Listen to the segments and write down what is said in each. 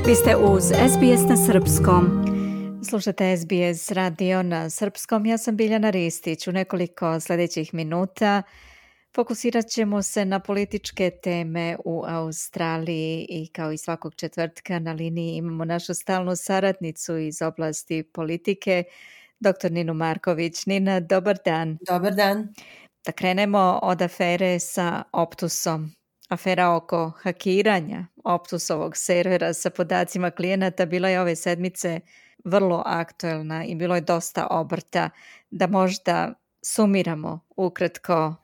Vi ste uz SBS na srpskom. Slušate SBS radio na srpskom. Ja sam Biljana Ristić. U nekoliko sljedećih minuta fokusirat ćemo se na političke teme u Australiji i kao i svakog četvrtka na liniji imamo našu stalnu saradnicu iz oblasti politike, dr. Ninu Marković. Nina, dobar dan. Dobar dan. Da krenemo od afere sa Optusom. Afera oko hakiranja Optusovog servera sa podacima klijenata bila je ove sedmice vrlo aktuelna i bilo je dosta obrta. Da možda sumiramo ukratko.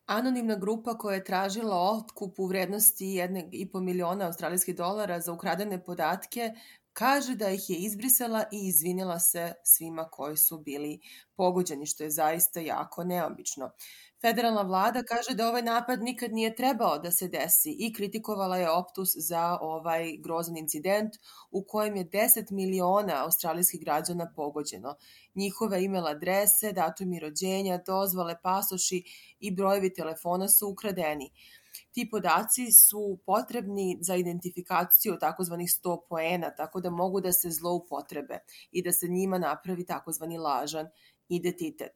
Anonimna grupa koja je tražila otkup u vrednosti 1,5 miliona australijskih dolara za ukradene podatke kaže da ih je izbrisala i izvinila se svima koji su bili pogođeni, što je zaista jako neobično. Federalna vlada kaže da ovaj napad nikad nije trebao da se desi i kritikovala je Optus za ovaj grozan incident u kojem je 10 miliona australijskih građana pogođeno. Njihove email adrese, datumi rođenja, dozvole, pasoši i brojevi telefona su ukradeni. Ti podaci su potrebni za identifikaciju takozvanih 100 poena, tako da mogu da se zloupotrebe i da se njima napravi takozvani lažan identitet.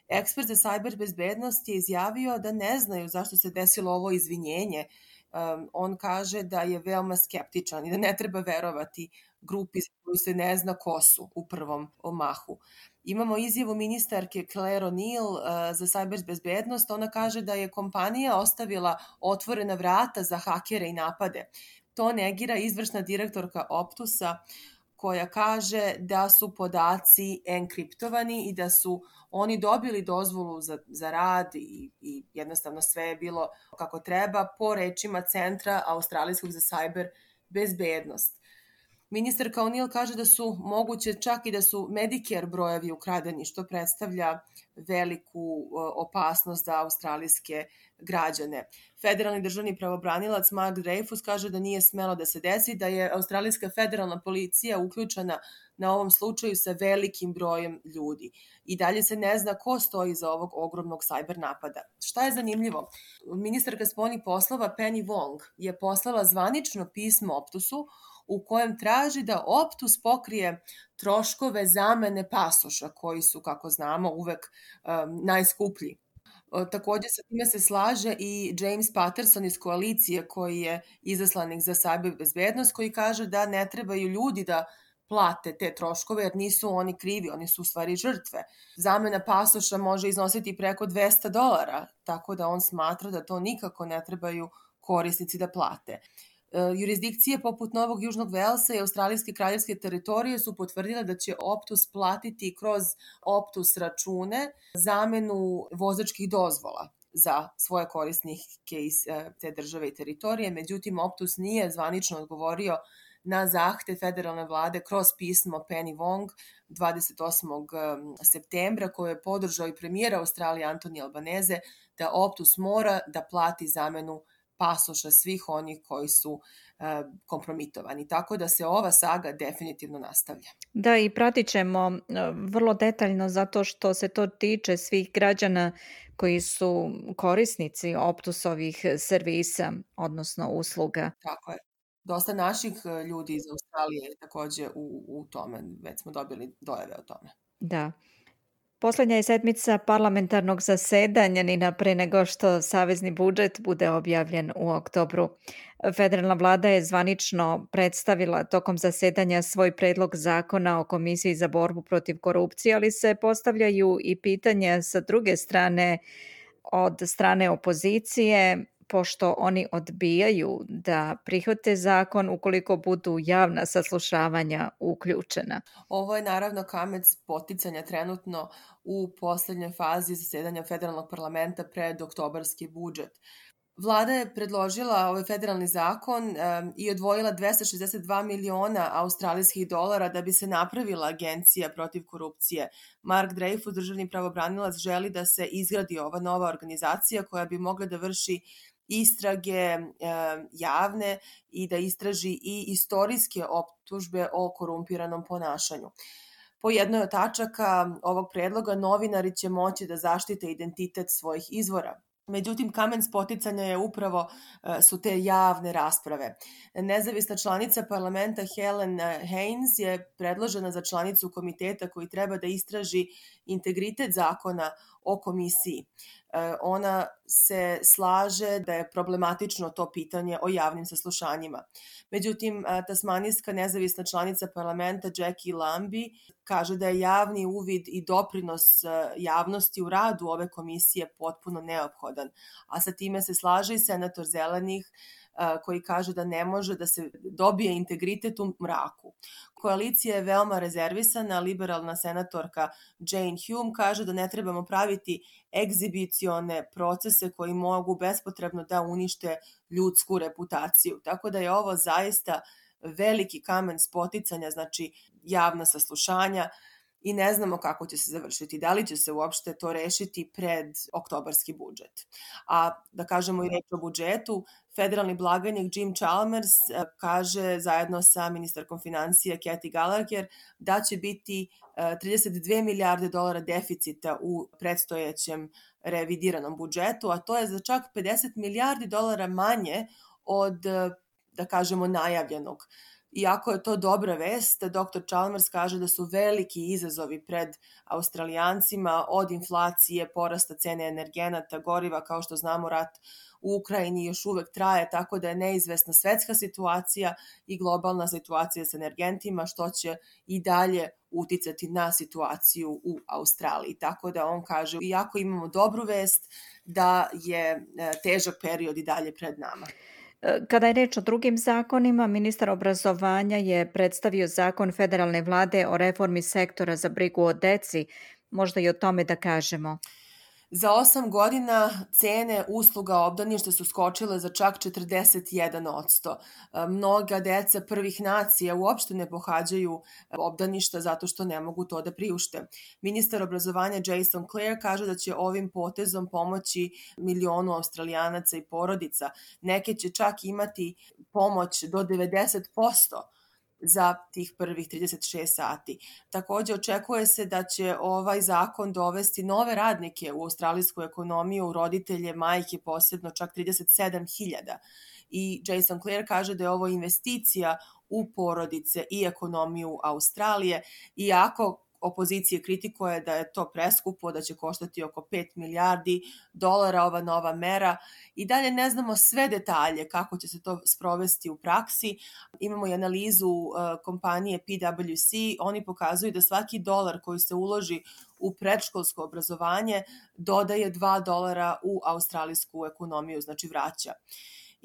Ekspert za sajber bezbednost je izjavio da ne znaju zašto se desilo ovo izvinjenje. On kaže da je veoma skeptičan i da ne treba verovati grupi za koju se ne zna ko su u prvom mahu. Imamo izjavu ministarke Claire O'Neill za sajber bezbednost. Ona kaže da je kompanija ostavila otvorena vrata za hakere i napade. To negira izvršna direktorka Optusa, koja kaže da su podaci enkriptovani i da su oni dobili dozvolu za rad i jednostavno sve je bilo kako treba po rečima Centra australijskog za sajber bezbednost. Ministarka O'Neill kaže da su moguće čak i da su Medicare brojevi ukradeni, što predstavlja veliku opasnost za australijske građane. Federalni državni pravobranilac Mark Dreyfus kaže da nije smelo da se desi, da je australijska federalna policija uključena na ovom slučaju sa velikim brojem ljudi. I dalje se ne zna ko stoji iza ovog ogromnog sajber napada. Šta je zanimljivo? Ministarka spoljnih poslova Penny Wong je poslala zvanično pismo Optusu u kojem traži da Optus pokrije troškove zamene pasoša koji su, kako znamo, uvek najskuplji. Također sa time se slaže i James Patterson iz koalicije koji je izaslanik za sajber bezbednost, koji kaže da ne trebaju ljudi da plate te troškove jer nisu oni krivi, oni su u stvari žrtve. Zamena pasoša može iznositi preko $200, tako da on smatra da to nikako ne trebaju korisnici da plate. Jurisdikcije poput Novog Južnog Velsa i Australijske kraljevske teritorije su potvrdile da će Optus platiti kroz Optus račune zamenu vozačkih dozvola za svoje korisnike iz te države i teritorije. Međutim, Optus nije zvanično odgovorio na zahtev federalne vlade kroz pismo Penny Wong 28. septembra koje je podržao i premijer Australije Anthony Albanese da Optus mora da plati zamenu pasoša svih onih koji su kompromitovani. Tako da se ova saga definitivno nastavlja. Da, i pratit ćemo vrlo detaljno zato što se to tiče svih građana koji su korisnici Optusovih servisa, odnosno usluga. Tako je. Dosta naših ljudi iz Australije je takođe u tome. Već smo dobili dojave o tome. Da. Posljednja je sedmica parlamentarnog zasedanja, Nina, pre nego što savezni budžet bude objavljen u oktobru. Federalna vlada je zvanično predstavila tokom zasedanja svoj predlog zakona o Komisiji za borbu protiv korupcije, ali se postavljaju i pitanja sa druge strane od strane opozicije, pošto oni odbijaju da prihvate zakon ukoliko budu javna saslušavanja uključena. Ovo je naravno kamen spoticanja trenutno u poslednjoj fazi zasedanja federalnog parlamenta pred oktobarski budžet. Vlada je predložila ovaj federalni zakon i odvojila 262 miliona australijskih dolara da bi se napravila agencija protiv korupcije. Mark Dreyfus, državni pravobranilac, želi da se izgradi ova nova organizacija koja bi mogla da vrši istrage javne i da istraži i istorijske optužbe o korumpiranom ponašanju. Po jednoj od tačaka ovog predloga novinari će moći da zaštite identitet svojih izvora. Međutim, kamen spoticanja je upravo su te javne rasprave. Nezavisna članica parlamenta Helen Haynes je predložena za članicu komiteta koji treba da istraži integritet zakona o komisiji. Ona se slaže da je problematično to pitanje o javnim saslušanjima. Međutim, tasmanijska nezavisna članica parlamenta Jackie Lambie kaže da je javni uvid i doprinos javnosti u radu ove komisije potpuno neophodan, a sa time se slaže i senator Zelenih koji kaže da ne može da se dobije integritet u mraku. Koalicija je veoma rezervisana, liberalna senatorka Jane Hume kaže da ne trebamo praviti egzibicione procese koji mogu bespotrebno da unište ljudsku reputaciju. Tako da je ovo zaista veliki kamen spoticanja, znači javna saslušanja, i ne znamo kako će se završiti. Da li će se uopšte to rešiti pred oktobarski budžet. A da kažemo i reč o budžetu, federalni blagajnik Jim Chalmers kaže zajedno sa ministarkom financija Kathy Gallagher da će biti 32 milijarde dolara deficita u predstojećem revidiranom budžetu, a to je za čak 50 milijardi dolara manje od, da kažemo, najavljenog. Iako je to dobra vest, dr. Chalmers kaže da su veliki izazovi pred Australijancima, od inflacije, porasta cene energenata, goriva, kao što znamo rat u Ukrajini još uvek traje, tako da je neizvesna svetska situacija i globalna situacija sa energentima, što će i dalje uticati na situaciju u Australiji. Tako da on kaže, iako imamo dobru vest, da je težak period i dalje pred nama. Kada je reč o drugim zakonima, ministar obrazovanja je predstavio zakon federalne vlade o reformi sektora za brigu o deci. Možda i o tome da kažemo. Za 8 godina cene usluga obdaništa su skočile za čak 41%. Mnoga deca prvih nacija uopšte ne pohađaju obdaništa zato što ne mogu to da priušte. Ministar obrazovanja Jason Clare kaže da će ovim potezom pomoći milionu Australijanaca i porodica. Neke će čak imati pomoć do 90% za tih prvih 36 sati. Takođe, očekuje se da će ovaj zakon dovesti nove radnike u australijsku ekonomiju, roditelje, majke posebno, čak 37.000. I Jason Clare kaže da je ovo investicija u porodice i ekonomiju Australije, iako opozicije kritikuje da je to preskupo, da će koštati oko 5 milijardi dolara ova nova mera. I dalje ne znamo sve detalje kako će se to sprovesti u praksi. Imamo i analizu kompanije PwC, oni pokazuju da svaki dolar koji se uloži u predškolsko obrazovanje dodaje $2 u australijsku ekonomiju, znači vraća.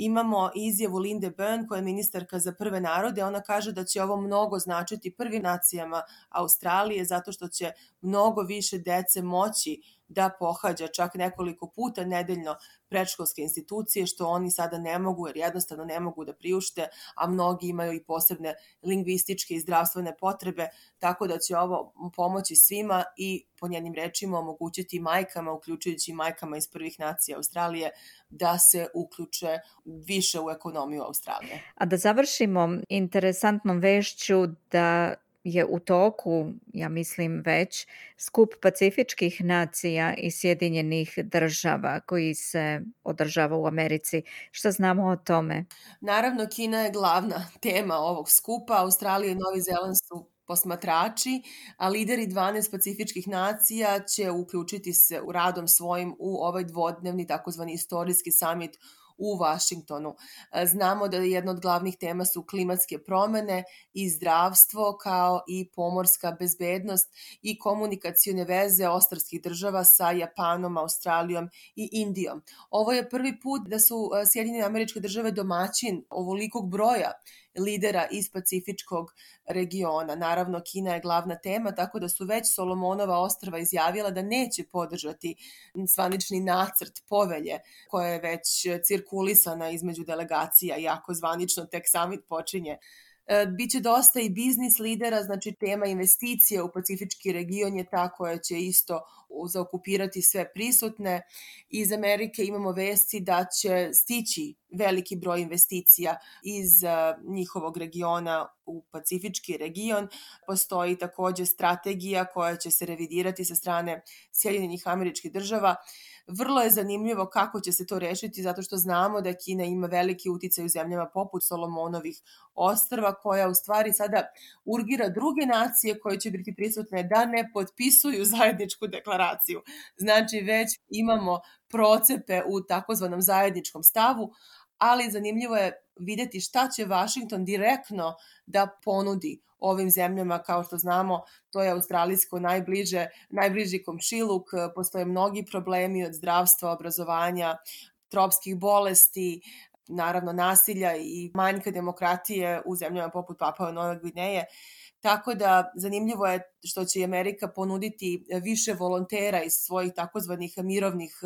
Imamo izjavu Linde Byrne, koja je ministarka za prve narode. Ona kaže da će ovo mnogo značiti prvim nacijama Australije zato što će mnogo više dece moći da pohađa čak nekoliko puta nedeljno predškolske institucije, što oni sada ne mogu jer jednostavno ne mogu da priušte, a mnogi imaju i posebne lingvističke i zdravstvene potrebe, tako da će ovo pomoći svima i po njenim rečima omogućiti majkama, uključujući majkama iz prvih nacija Australije, da se uključe više u ekonomiju Australije. A da završimo interesantnom vešću da je u toku, ja mislim već, skup Pacifičkih nacija i Sjedinjenih država koji se održava u Americi. Šta znamo o tome? Naravno, Kina je glavna tema ovog skupa. Australija i Novi Zeland su posmatrači, a lideri 12 pacifičkih nacija će uključiti se u radom svojim u ovaj dvodnevni takozvani istorijski samit u Vašingtonu. Znamo da jedna od glavnih tema su klimatske promene i zdravstvo, kao i pomorska bezbednost i komunikacione veze ostrvskih država sa Japanom, Australijom i Indijom. Ovo je prvi put da su Sjedinjene Američke Države domaćin ovolikog broja lidera iz Pacifičkog regiona. Naravno, Kina je glavna tema, tako da su već Solomonova ostrva izjavila da neće podržati zvanični nacrt povelje koja je već cirkulisana između delegacija, iako zvanično tek summit počinje. Biće dosta i biznis lidera, znači tema investicije u Pacifički region je ta koja će isto zaokupirati sve prisutne. Iz Amerike imamo vesti da će stići veliki broj investicija iz njihovog regiona u Pacifički region. Postoji takođe strategija koja će se revidirati sa strane Sjedinjenih Američkih Država. Vrlo je zanimljivo kako će se to rešiti, zato što znamo da Kina ima veliki uticaj u zemljama poput Solomonovih ostrva, koja u stvari sada urgira druge nacije koje će biti prisutne da ne potpisuju zajedničku deklaraciju. Znači, već imamo procepe u takozvanom zajedničkom stavu, ali zanimljivo je videti šta će Vašington direktno da ponudi ovim zemljama. Kao što znamo, to je australijsko najbliži komšiluk, postoje mnogi problemi od zdravstva, obrazovanja, tropskih bolesti, naravno nasilja i manjka demokratije u zemljama poput Papua Nove Gvineje. Tako da zanimljivo je što će Amerika ponuditi više volontera iz svojih takozvanih mirovnih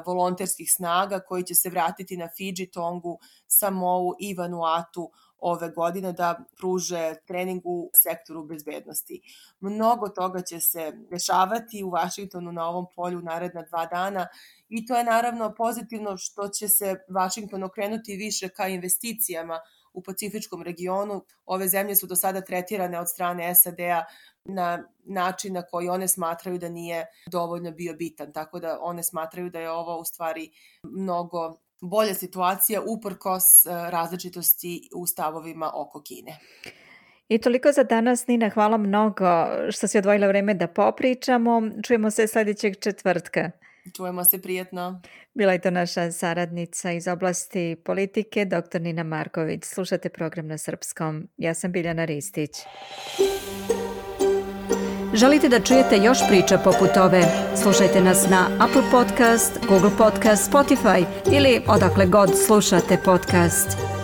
volonterskih snaga koji će se vratiti na Fidži, Tongu, Samou i Vanuatu ove godine da pruže trening u sektoru bezbednosti. Mnogo toga će se dešavati u Vašingtonu na ovom polju naredna 2 dana i to je naravno pozitivno što će se Vašington okrenuti više ka investicijama u Pacifičkom regionu. Ove zemlje su do sada tretirane od strane SAD-a na način na koji one smatraju da nije dovoljno bio bitan. Tako da one smatraju da je ovo u stvari mnogo bolja situacija uprkos različitosti u stavovima oko Kine. I toliko za danas, Nina. Hvala mnogo što si odvojila vreme da popričamo. Čujemo se sledećeg četvrtka. Čujemo se, prijetno. Bila je to naša saradnica iz oblasti politike, dr. Nina Marković. Slušate program na srpskom. Ja sam Biljana Ristić. Želite da čujete još priča poput ove? Slušajte nas na Apple Podcast, Google Podcast, Spotify ili odakle god slušate podcast.